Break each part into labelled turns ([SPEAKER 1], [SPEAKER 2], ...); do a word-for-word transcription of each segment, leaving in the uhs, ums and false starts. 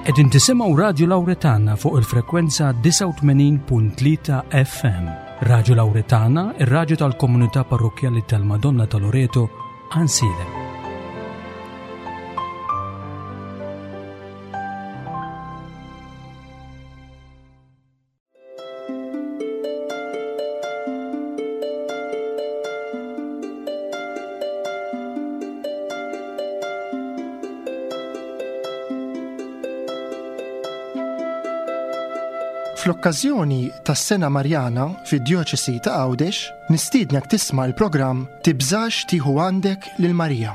[SPEAKER 1] Qegħdin tisimgħu Radio Lauretana fuq il-frekwenza disgħa u tmenin punt tlieta F M. Radio Lauretana, ir-radju tal-Komunità Parrokkjali tal-Madonna ta' Loreto, Għajnsielem.
[SPEAKER 2] Fl-okkażjoni tas-Sena Marjana fid-Djoċesi ta' Għawdex, nistiednek tisma' l-programm Tibżax tieħu għandek lil Marija.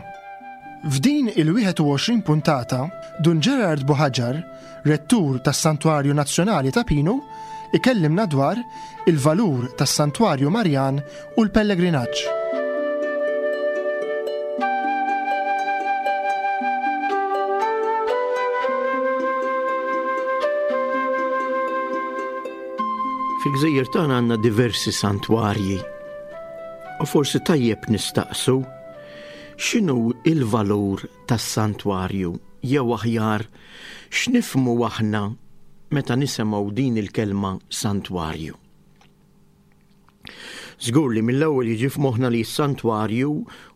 [SPEAKER 2] F'din il-wieħed u għoxrin puntata, Dun Gerard Buhagiar, rettur tas-Santwarju Nazzjonali Ta' Pinu, ikellimna dwar il-valur tas-Santwarju Marjan u l-pellegrinaġġ.
[SPEAKER 3] Fil-gżejjer tagħna għandna diversi santwarji. U forsi tajjeb nistaqsu x'inhu il-valur tas-santwarju, jew aħjar, x'nifhmu aħna meta nisimgħu din il-kelma santwarju. Żgur li mill-ewwel jiġi f'moħħna li s-santwarju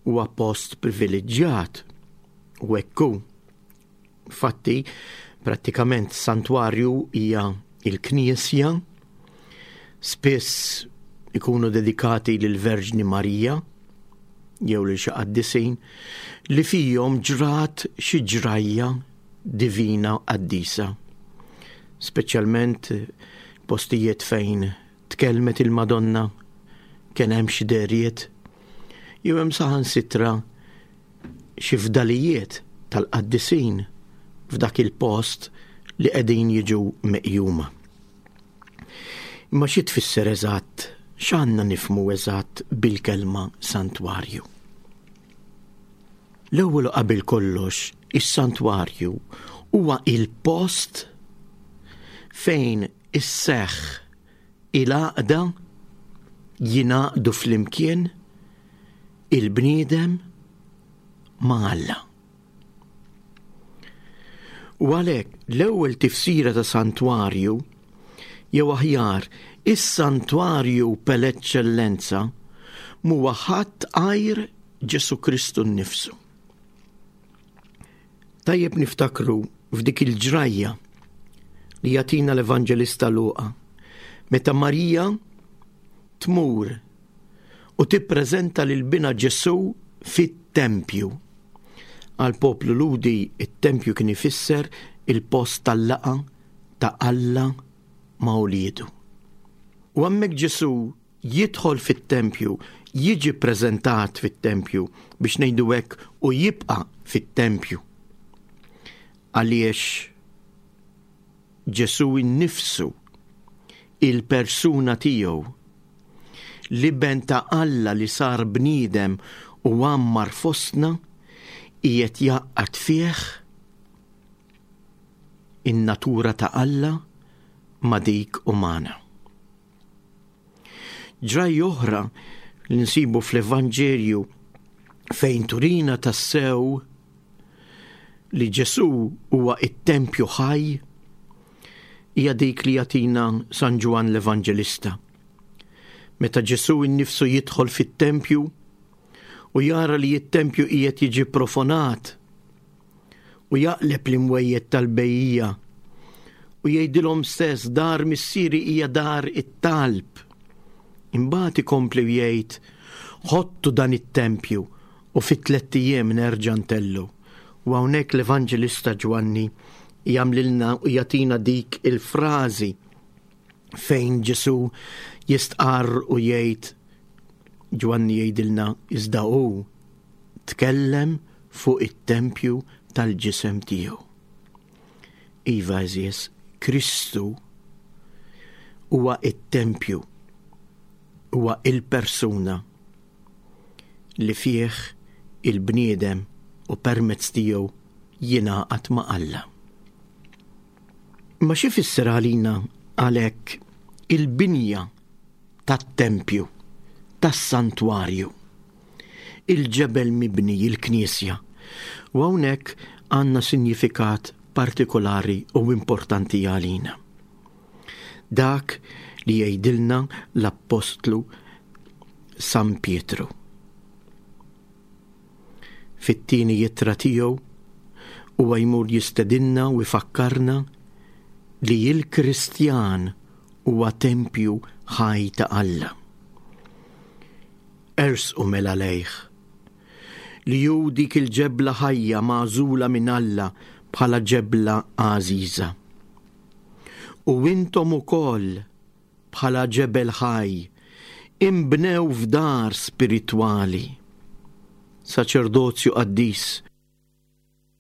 [SPEAKER 3] huwa post privileġġjat. U hekk hu. Fatti, prattikament santwarju hija il-knisja, spiss ikunu dedikati lil Verġni Marija jew lil xi qaddisin li fihom ġrat xi ġrajja divina qaddisa. Speċjalment postijiet fejn tkellmet il-Madonna, kien hemm xi dehriet, jew hemm saħansitra xi fdalijiet tal-qaddisin f'dak il-post li qegħdin jiġu meqjuma. Imma xi tfisser eżatt, x'għandna nifhmu eżatt bil-kelma santwarju? L-ewwel u qabel kollox, is-santwarju huwa il-post fejn isseħħ il-għaqda, jingħaqdu flimkien il-bniedem ma' Alla. U għalhekk l-ewwel tifsira ta' santwarju, jew aħjar is-santwarju per eccellenza, m'huwa ħadd għajr Ġesu Kristu nnifsu. Tajjeb niftakru f'dik il-ġrajja li jagħtina l-Evanġelista Luqa, meta Marija tmur u tippreżenta lil bina Ġesu fit-tempju. Għal poplu Lhudi it-tempju kien ifisser il-post tal-laqgħa ta' Alla ma' uliedu. U hemmhekk Ġesu jidħol fit-tempju, jiġi preżentat fit-tempju biex ngħidu hekk, u jibqa' fit-tempju. Għaliex Ġesu innifsu, il-persuna tiegħu, l-iben ta' Alla li sar bniedem u għammar fostna, qiegħed jgħaqqad fih in-natura ta' Alla ma' dik umana. Ġrajja oħra li nsibu fl-Evanġelju fejn turina tassew li Ġesu huwa it-tempju ħaj hija dik li jagħtina San Ġwann l-Evanġelista. Meta Ġesu innifsu jidħol fit-tempju u jara li t-tempju qiegħed jiġi profanat u jaqleb l-imwejjed tal-bejjiegħa u jgħidilhom stess, "Dar missieri hija dar it-talb." Imbagħad ikompli jgħid, "Ħottu dan it-tempju u fi tlett ijiem nerġa' ntellu." U hawnhekk l-Evanġelista Ġwanni jagħmlilna u jagħtina dik il-frażi fejn Ġesu jistqarr u jgħid, Ġwanni jgħidilna, "Iżda hu tkellem fuq it-tempju tal-ġisem tiegħu." Iva, għeżież, Kristu huwa it-tempju, huwa il-persuna li fih il-bniedem u permezz tiegħu jingħaqad ma' Alla. Ma xi fisser għalina għalhekk il-binja tat-tempju, tas-santwarju, il-ġebel mibni, il-knisja? U hawnhekk għandna sinjifikat partikolari u importanti għalina. Dak li jgħidilna l-Appostlu San Pietru. Fit-tieni ittra tiegħu huwa jmur jistedinna u jfakkarna li l-Kristjan huwa tempju ħaj ta' Alla. Ersqu mela lejh, li hu dik il-ġebla ħajja magħżula minn Alla bħala ġebla għażiża. U intom ukoll bħala ġebel ħaj inbnew f'dar spiritwali, saċerdozju qaddis,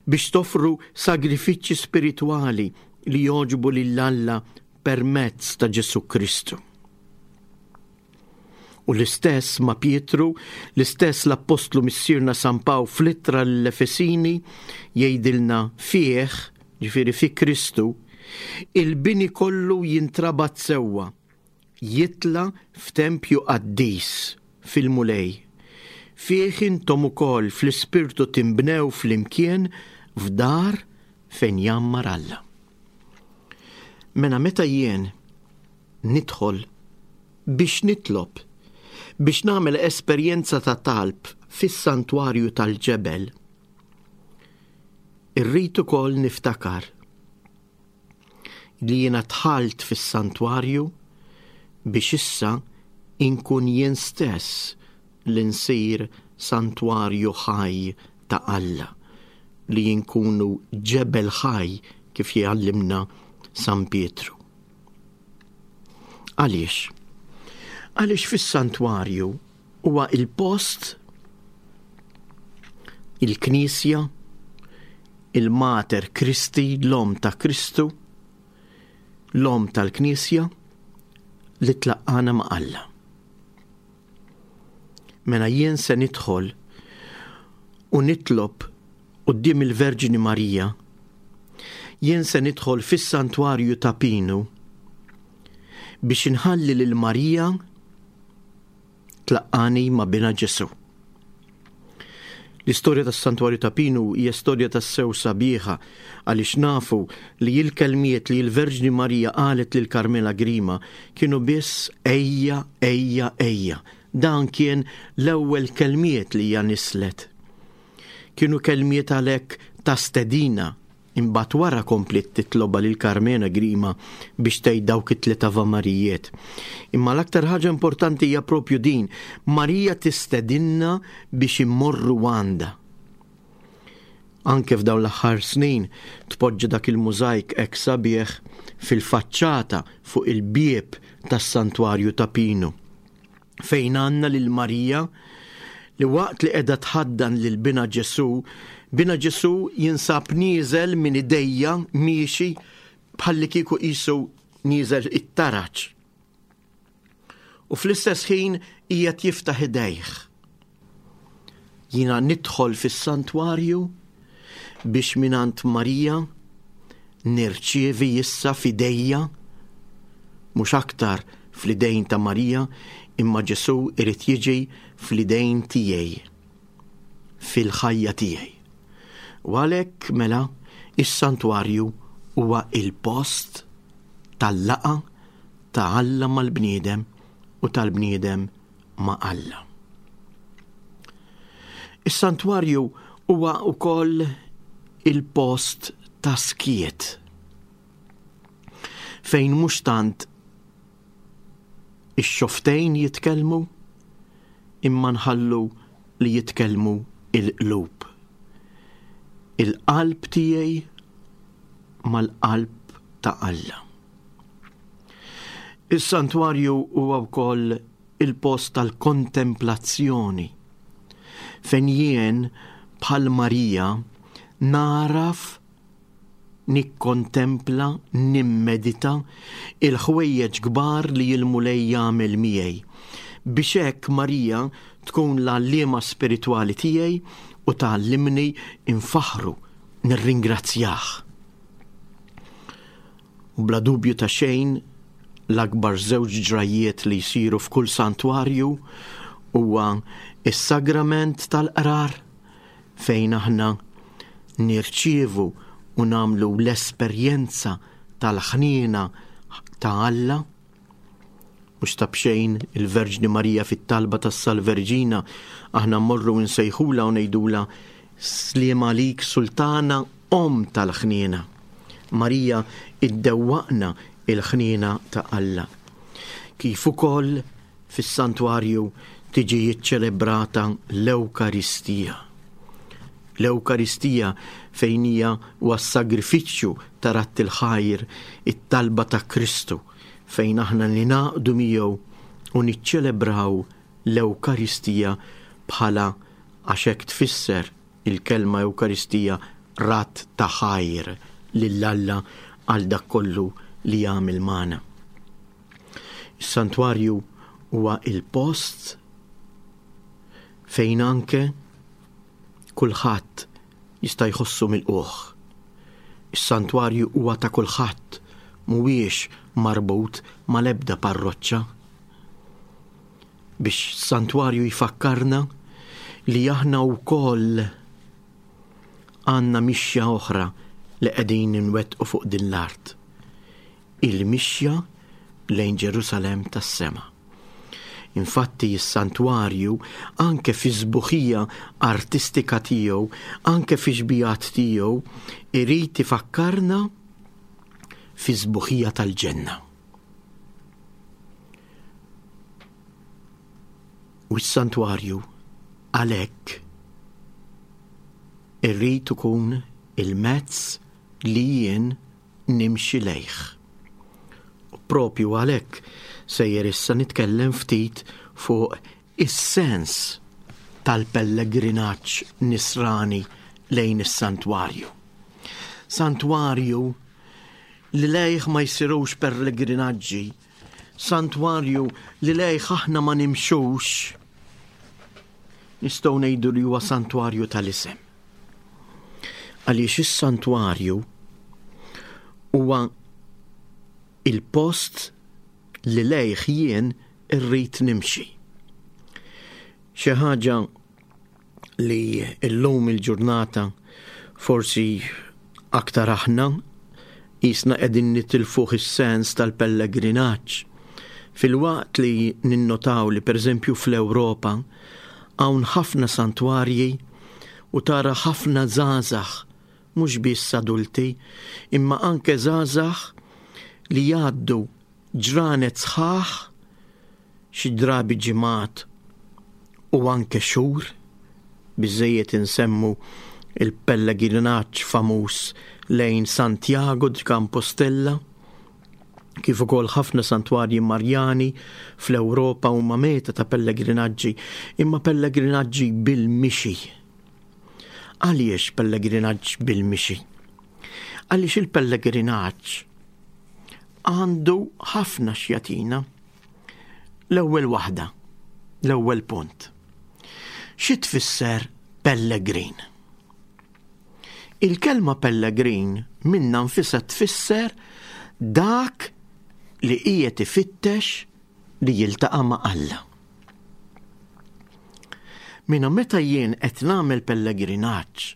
[SPEAKER 3] biex toffru sagrifiċċji spiritwali li jogħġbu lil Alla permezz ta' Ġesù Kristu. U l-istess ma' Pietru, l-istess l-Appostlu Missierna San Pawl fl-ittra l-Efesini jgħidilna fih, ġifieri fi Kristu, il-bini kollu jintrabat sewwa, jitla f'tempju qaddis fil-Mulej. Fih intom ukoll fl-ispirtu timbnew flimkien f'dar fejn jgħammar Alla. Mela meta jien nidħol biex nitlob, biex nagħmel esperjenza ta' talb fis-santwarju tal-ġebel, irrid ukoll niftakar li jiena dħalt fis-santwarju biex issa inkun jien stess li nsir santwarju ħaj ta' Alla, li jinkunu ġebel ħaj kif jgħallimna San Pietru. Għaliex? Għaliex fis-santwarju huwa il-post, il-Knisja, il-Mater Christi, l-Omm ta' Kristu, l-Omm tal-Knisja, li tlaqqana ma' Alla. Mela jien se nidħol u nitlob quddiem il-Verġni Marija, jien se nidħol fis-santwarju ta' Pinu biex inħalli lil Marija tlaqqani ma' bina Ġesù. L-istorja tas-santwarju ta' Pinu hija storja tassew sabiħa għaliex nafu li l-kelmiet li l-Verġni Marija qalet lil Carmela Grima kienu biss ejja, ejja, ejja. Dan kien l-ewwel kelmiet li hija nislet. Kienu kelmiet għalhekk ta' stedina. Imbagħad wara kompliet titloba lil Carmela Grima biex tgħid dawk it-tliet avamarijiet. Imma l-aktar ħaġa importanti hija propju din, Marija tistedinna biex immorru għandha. Anke f'dawn l-aħħar snin tpoġġa dak il-mużajk hekk sabiħ fil-faċċata fuq il-bieb tas-santwarju ta' Pinu, fejn għandna lil Marija li waqt li qiegħda tħaddan lil bina Ġesù, bina Ġesù jinsab nieżel minn idejja miexi bħalli kieku qisu nieżel it-taraġ. U fl-istess ħin qiegħed jiftaħ idejh. Jiena nidħol fis-santwarju biex mingħand Marija nirċievi issa f'idejja, mhux aktar fl-idejn ta' Marija, imma Ġesù irid jiġi fl-idejn tiegħi, fil-ħajja tiegħi. U għalhekk mela is-santwarju huwa il-post tal-laqgħa ta' Alla mal-bniedem u tal-bniedem ma' Alla. Is-santwarju huwa wkoll il-post ta' skiet, fejn mhux tant ix-xoftejn jitkellmu, imma nħallu li jitkellmu il-qlub. Il-qalb tiegħi mal-qalb ta' Alla. Is-santwarju huwa wkoll il-post tal-kontemplazzjoni, fejn jien bħal Marija naraf nikkontempla, nimmedita il-ħwejjeġ kbar li l-Mulej jagħmel miegħi, biex hekk Marija tkun l-għalliema spiritwali tiegħi u tgħallimni infaħru, nirringrazzjah. U bla dubju ta' xejn, l-akbar żewġ ġrajiet li jsiru f'kull santwarju huwa is-sagrament tal-qrar, fejn aħna nirċievu u u nagħmlu l-esperjenza tal-ħniena ta' Alla. Mhux ta' b'xejn il-Verġni Marija fit-talba tas-Salve Reġina aħna mmorru nsejħula u ngħidula sliem għalik Sultana Omm tal-ħniena. Marija iddewwaqna il-ħniena ta' Alla. Kif ukoll fis-santwarju tiġi ċċelebrata l-Ewkaristija. L-Ewkaristija fejn hija huwa s-sagrifiċċju ta' radd il-ħajr, it-talba ta' Kristu, fejn aħna ningħaqdu miegħu u niċċelebraw l-Ewkaristija bħala, għax hekk tfisser il-kelma Ewkaristija, radd ta' ħajr lil Alla għal dak kollu li jagħmel magħna. Is-santwarju huwa il-post fejn anke kulħadd jista' jħossu milqugħ. Is-santwarju huwa ta' kulħadd, mhuwiex marbut mal-ebda parroċċa. Biex santwarju jfakkarna li aħna wkoll għandna mixja oħra li qegħdin nwettqu fuq din l-art. Il-mixja lejn Ġerusalemm tas-sema. Infatti is-santwarju anke fi sbuħija artistika tiegħu, anke fi xbijat tiegħu, irid ifakkarna fi sbuħija tal-ġenna. U s-santwarju għalhekk irrid ikun il-mezz li jien nimxi lejh. U propju għalhekk sejjer issa nitkellem ftit fuq is-sens tal-pellegrinaġġ nisrani lejn is-santwarju. Santwarju li lejh ma jsirux pellegrinaġġi, santwarju li lejh aħna ma nimxux, nistgħu ngħidu li huwa santwarju tal-isem. Għaliex is-santwarju huwa il-post li lejh jien irrid nimxi. Xi ħaġa li llum il-ġurnata forsi aktar aħna jisna qegħdin nitilfuh is-sens tal-pellegrinaġġ. Filwaqt li ninnotaw li pereżempju fl-Ewropa hawn ħafna santwarji u tara ħafna żgħażagħ, mhux biss adulti, imma anke żgħażagħ li jgħaddu ġranet sħaħ, xi drabi ġimgħat u anke xhur, biżejjed insemmu il-pellegrinaġġ famuż lejn Santiago di Compostela, kif ukoll ħafna santwarji Marjani fl-Ewropa huma meta ta' pellegrinaġġi, imma pellegrinaġġi bil-mixi. Għaliex pellegrinaġġ bil-mixi? Għaliex il-pellegrinaġġ għandu ħafna x'jagħtina. L-ewwel waħda, l-ewwel punt. Xi tfisser pellegrin? Il-kelma pellegrin minna nfisha tfisser dak li qiegħed ifittex li jiltaqa' ma' Alla. Minna meta jien qed nagħmel pellegrinaġġ,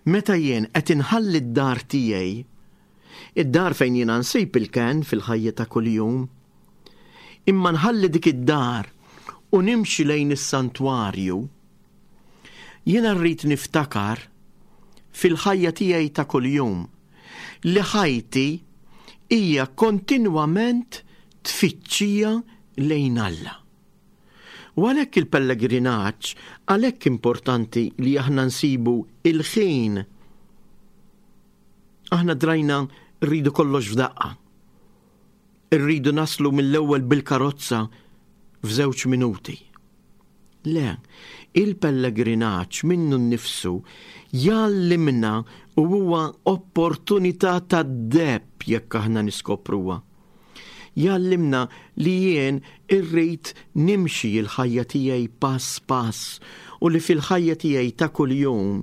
[SPEAKER 3] meta jien qed inħalli d-dar tiegħi, id-dar fejn jiena nsib il-kenn fil-ħajja ta' kuljum, imma nħalli dik id-dar u nimxi lejn is-santwarju, jiena rrid niftakar fil-ħajja tiegħi ta' kuljum li ħajti hija kontinwament tfittxija lejn Alla. U għalhekk il-pellegrinaġġ, għalhekk importanti li aħna nsibu il-ħin. Aħna drajna rridu kollox f'daqqa. Irridu naslu mill-ewwel bil-karozza f'żewġ minuti. Le, il-pellegrinaġġ minnu nnifsu jgħallimna u huwa opportunità tad-deheb jekk aħna niskopruha. Jgħallimna li jien irrid nimxi l-ħajja tiegħi pass pass u li fil-ħajja tiegħi ta' kuljum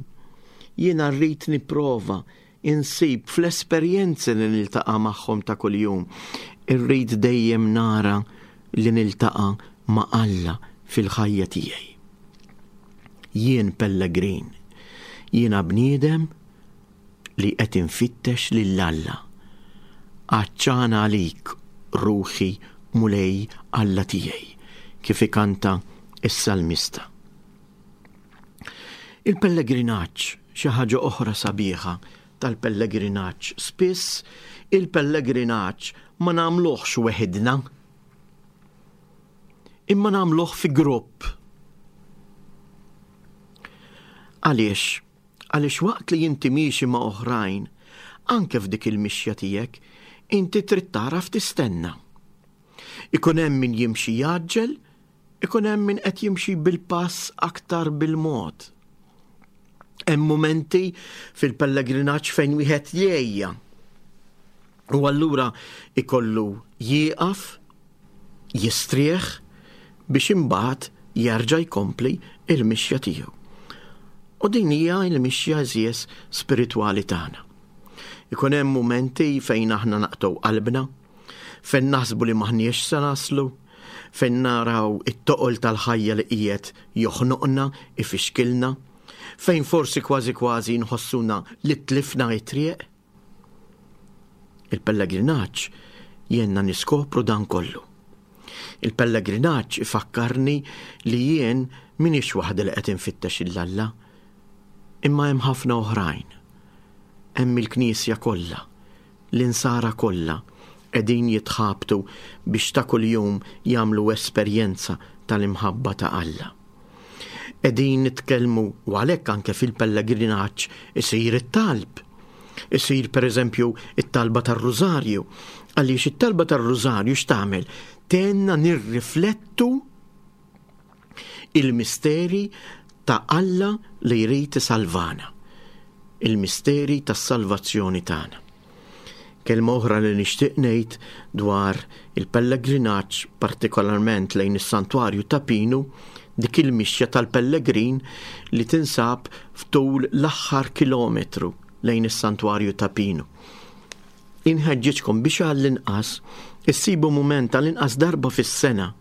[SPEAKER 3] jiena rrid nipprova insib fl-esperjenzi li niltaqa' magħhom ta' kuljum. Irrid dejjem nara li niltaqa' ma' Alla fil-ħajja tiegħi. Jien pellegrin, jiena bniedem li qed infittex lil Alla. Għatxana għalik, ruħi, Mulej Alla tiegħi, kif ikanta is-salmista. Il-pellegrinaġġ, xi ħaġa oħra sabiħa tal-pellegrinaġġ. Spiss il-pellegrinaġġ ma nagħmluhx weħidna, imma nagħmluh fi grupp. Għaliex? Għaliex waqt li inti miexi ma' oħrajn, anke f'dik il-mixja tiegħek, inti trid tagħraf tistenna. Ikun hemm min jimxi jgħaġġel, ikun hemm min qed jimxi bil-pass aktar bil-mod. Hemm mumenti fil-pellegrinaġġ fejn wieħed jgħejja. U allura ikollu jieqaf, jistrieħ biex imbagħad jerġa' jkompli il-mixja tiegħu. U din hija l-mixja għeżież spiritwali tagħna. Ikun hemm mumenti fejn aħna naqtgħu qalbna, fejn naħsbu li m'aħniex se naslu, fejn naraw it-toqol tal-ħajja li qiegħed joħnoqna, ifixkilna, fejn forsi kważi kważi nħossuna li tlifna t-triq. Il-pellegrinaġġ jgħinna niskopru dan kollu. Il-pellegrinaġġ ifakkarni li jien m'iniex waħda li qed infittex 'il Alla, imma hemm ħafna oħrajn. Hemm il-Knisja kollha, l-insara kollha qegħdin jitħabtu biex ta' kuljum jagħmlu esperjenza tal-imħabba ta' Alla. Qegħdin nitkellmu u għalhekk anke fil-pellegrinaġġ isir it-talb. Isir pereżempju it-talba tar-Rużarju. Għaliex it-talba tar-Rużarju x'tagħmel? Tgħinna nirriflettu il-misteri ta' Alla li jrid isalvana, il-misteri tas-salvazzjoni tagħna. Kelma oħra li nixtieq ngħid dwar il-pellegrinaġġ, partikolarment lejn is-Santwarju ta' Pinu, dik il-mixja tal-pellegrin li tinsab ftul l-aħħar kilometru lejn is-Santwarju ta' Pinu. Inħeġġiġkom biex għall-inqas issibu mument għall-inqas darba fis-sena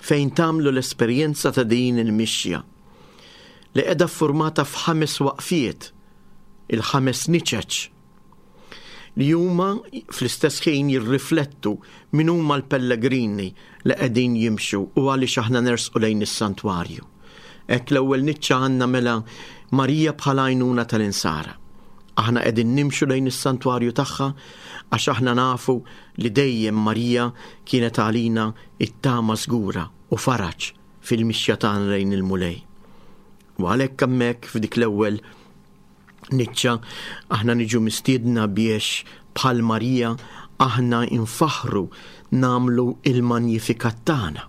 [SPEAKER 3] fejn tagħmlu l-esperjenza ta' din il-mixja li qiegħda ffurmata f'ħames waqfiet, il-ħames niċeċ, li huma fl-istess ħin jirriflettu min huma l-pellegrini li qegħdin jimxu u għaliex aħna nersqu lejn is-santwarju. Hekk l-ewwel niċċa għandna mela Marija bħala għajnuna tal-insara. Aħna qegħdin nimxu lejn is-santwarju tagħha għax aħna nafu li dejjem Marija kienet għalina it-tama żgura u faraġ fil-mixja tagħna lejn il-Mulej. U għalhekk hemmhekk f'dik l-ewwel niċċa aħna niġu mistiedna biex bħal Marija aħna infaħru nagħmlu il-Magnificat tagħna.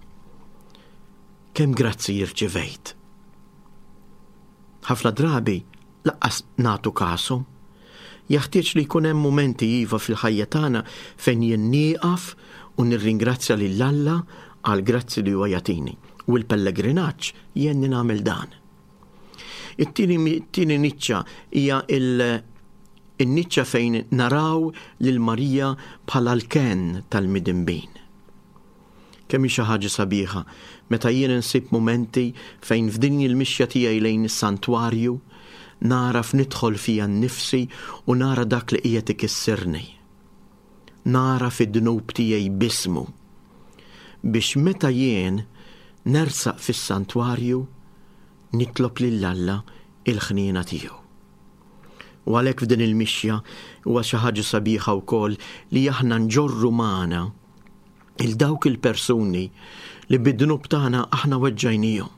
[SPEAKER 3] Kemm grazzi jirċivejt. Ħafna drabi laqqas nagħtu kasu. Jaħtieġ li jkun hemm mumenti iva fil-ħajja tagħna fejn jien nieqaf u nirringrazzja lil Alla għal grazzi li huwa jagħtini. U l-pellegrinaġġ jgħinni nagħmel dan. It-tieni, it-tieni niċċa hija il-, in-niċċa fejn naraw lil Marija bħala l-kenn tal-midinbin. Kemm hi xi ħaġa sabiħa meta jien insib mumenti fejn f'din il-mixja tiegħi lejn is-santwarju naraf nidħol fija nnifsi u nara dak li qiegħed ikissirni. Nara fid-dnub tiegħi bismu biex meta jien nersaq fis-santwarju nitlob lil Alla il-ħniena tiegħu. U għalhekk f'din il-mixja huwa xi ħaġa sabiħa wkoll li aħna nġorru magħna il dawk il-persuni li bid-dnub tagħna aħna weġġajnihom.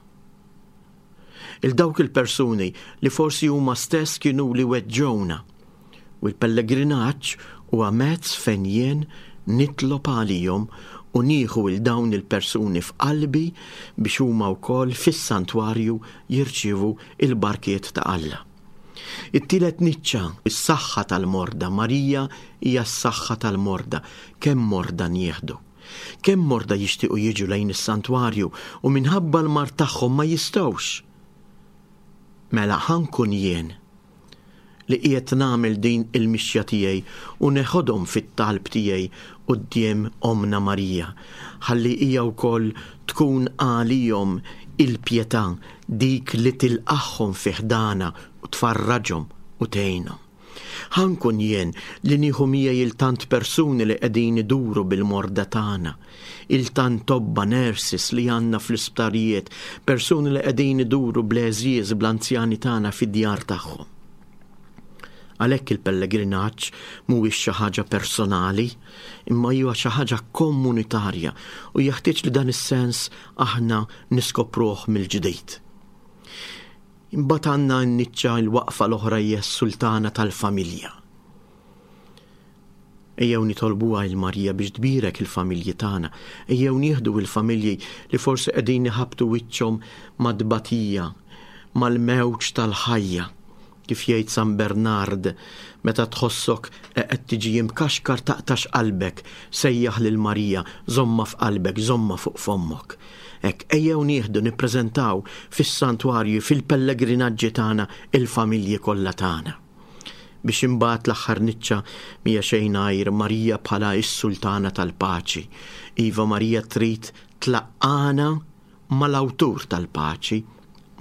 [SPEAKER 3] Il dawk il-persuni li forsi huma stess kienu li weġġewna. U l-pellegrinaġġ huwa mezz fejn jien nitlob għalihom u nieħu il dawn il-persuni f'qalbi biex huma wkoll fis-santwarju jirċievu il-barkiet ta' Alla. It-tielet niċċa, is-saħħa tal-morda. Marija hija s-saħħa tal-morda. Kemm morda nieħdu? Kemm morda jixtiequ jiġu lejn is-santwarju u minħabba l-mard tagħhom ma jistgħux? Mela ħankun jien li qiegħed nagħmel din il-mixja tiegħi u neħodhom fit-talb tiegħi quddiem Omna Marija, ħalli hija wkoll tkun għalihom il-pjetà, dik li tilqagħhom fi ħdana u tfarraġhom u tgħinhom. Ħa nkun jien li nieħu miegħi il-tant persuni li qegħdin iduru bil-morda tagħna, il-tant tobba nurses li għandna fl-isptarijiet, persuni li qegħdin iduru bl-għeżież bl-anzjani tagħna fid-djar tagħhom. Għalhekk il-pellegrinaġġ mhuwiex xi ħaġa personali, imma huwa xi ħaġa komunitarja u jeħtieġ li dan is-sens aħna niskopruh mill-ġdid. Imbagħad għandna n-niċċa l-waqfa l-oħra hija s-sultana tal-familja. Ejjew nitolbuha lil Marija biex tbierek il-familji tagħna, ejjew nieħdu il-familji li forsi qegħdin iħabbtu wiċċhom mad-tbatija, mal-mewġ tal-ħajja. Kif jgħid San Bernard, meta tħossok qed tiġi imkaxkar taqtax qalbek, sejjaħ lil Marija, żomma f'qalbek, żomma fuq fommok. Hekk ejjew nieħdu nippreżentaw fis-santwarju, fil-pellegrinaġġi tagħna il-familji kollha tagħna. Biex imbagħad l-aħħar niċċa mhija xejn għajr Marija bħala s-sultana tal-paċi. Iva, Marija trid tlaqqana mal-awtur tal-paċi,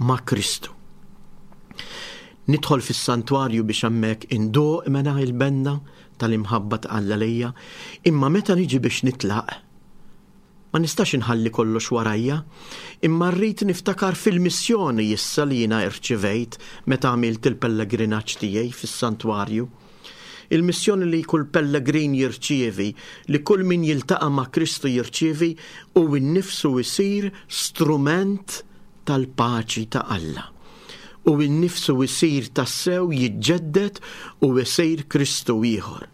[SPEAKER 3] ma' Kristu. Nidħol fis-santwarju biex hemmhekk indoq mela il-benna tal-imħabba ta' Alla lejja, imma meta niġi biex nitlaq, ma nistax inħalli kollox warajja, imma rrid niftakar fil-missjoni issa li jiena rċivejt meta għamilt il-pellegrinaġġ tiegħi fis-santwarju. Il-missjoni li kull pellegrin jirċievi, li kull min jiltaqa' ma' Kristu jirċievi, u nnifsu jsir strument tal-paċi ta' Alla. U nnifsu jsir tassew jiġġedded u jsir Kristu ieħor,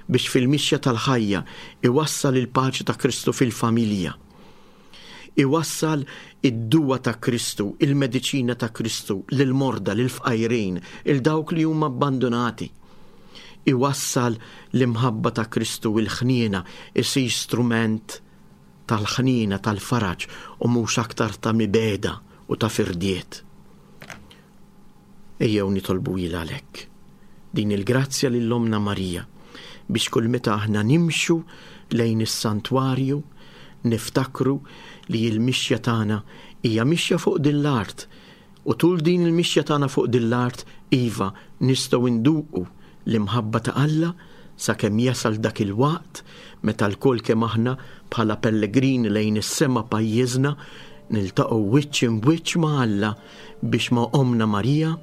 [SPEAKER 3] biex fil-mixja tal-ħajja iwassal il-paċi ta' Kristu fil-familja, iwassal id-duwa ta' Kristu, il-mediċina ta' Kristu lil-morda, lil-fqajrin, il dawk li huma abbandonati. Iwassal l-imħabba ta' Kristu, il-ħniena, isir strument tal-ħniena, tal-faraġ, u mhux aktar ta' mibeda u ta' firdiet. Ejjew nitolbu għalhekk din il-grazzja lil Ommna Marija biex kull meta aħna nimxu lejn is-santwarju niftakru li l-mixja tagħna hija mixja fuq din l-art, u tul din il-mixja tagħna fuq din l-art iva nistgħu nduqu l-imħabba ta' Alla sakemm jasal dak il-waqt meta lkoll kemm aħna bħala pellegrini lejn is-sema pajjiżna niltaqgħu wiċċ imwiċċ ma' Alla biex ma' Ommna Marija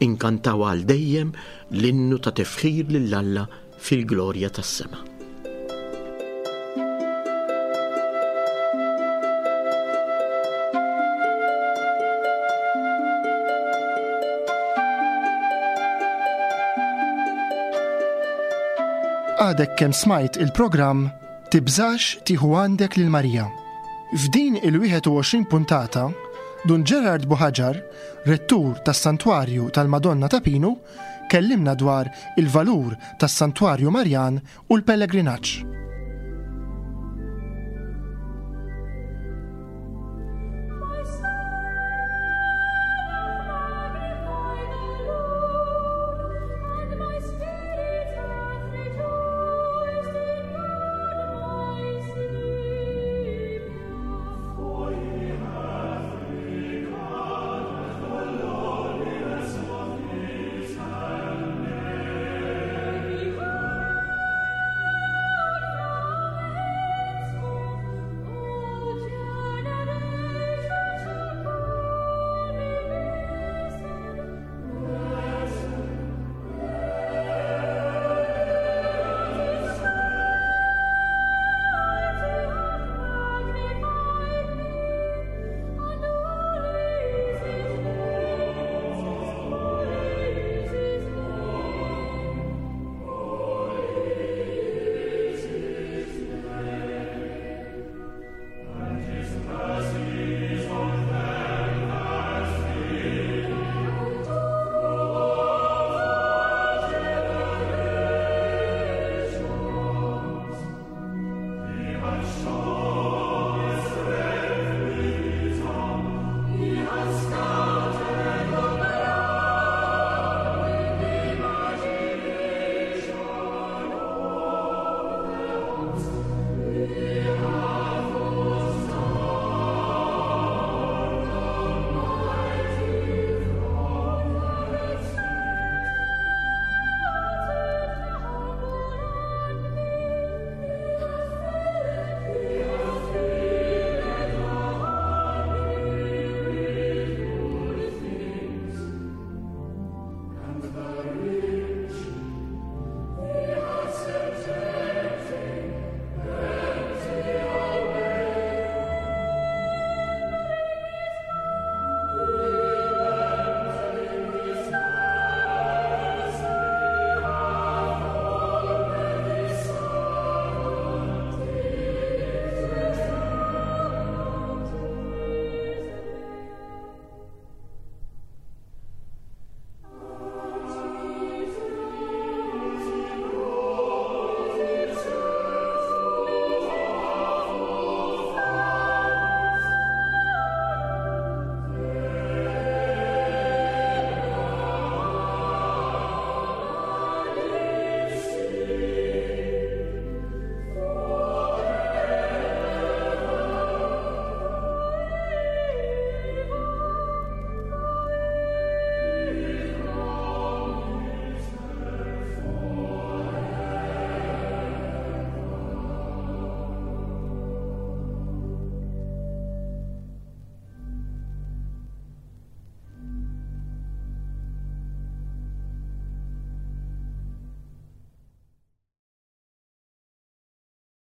[SPEAKER 3] inkantaw għal dejjem l-innu ta' tifħir lil Alla fil-glorja tas-sema.
[SPEAKER 2] Għadek kemm smajt il-programm Tibżax tieħu għandek lil Marija. F'din il-wieħed u għoxrin puntata, Dun Gerard Buhagiar, rettur tas-Santwarju tal-Madonna ta' Pinu, kellimna dwar il-valur tas-Santwarju Marjan u l-pellegrinaġġ.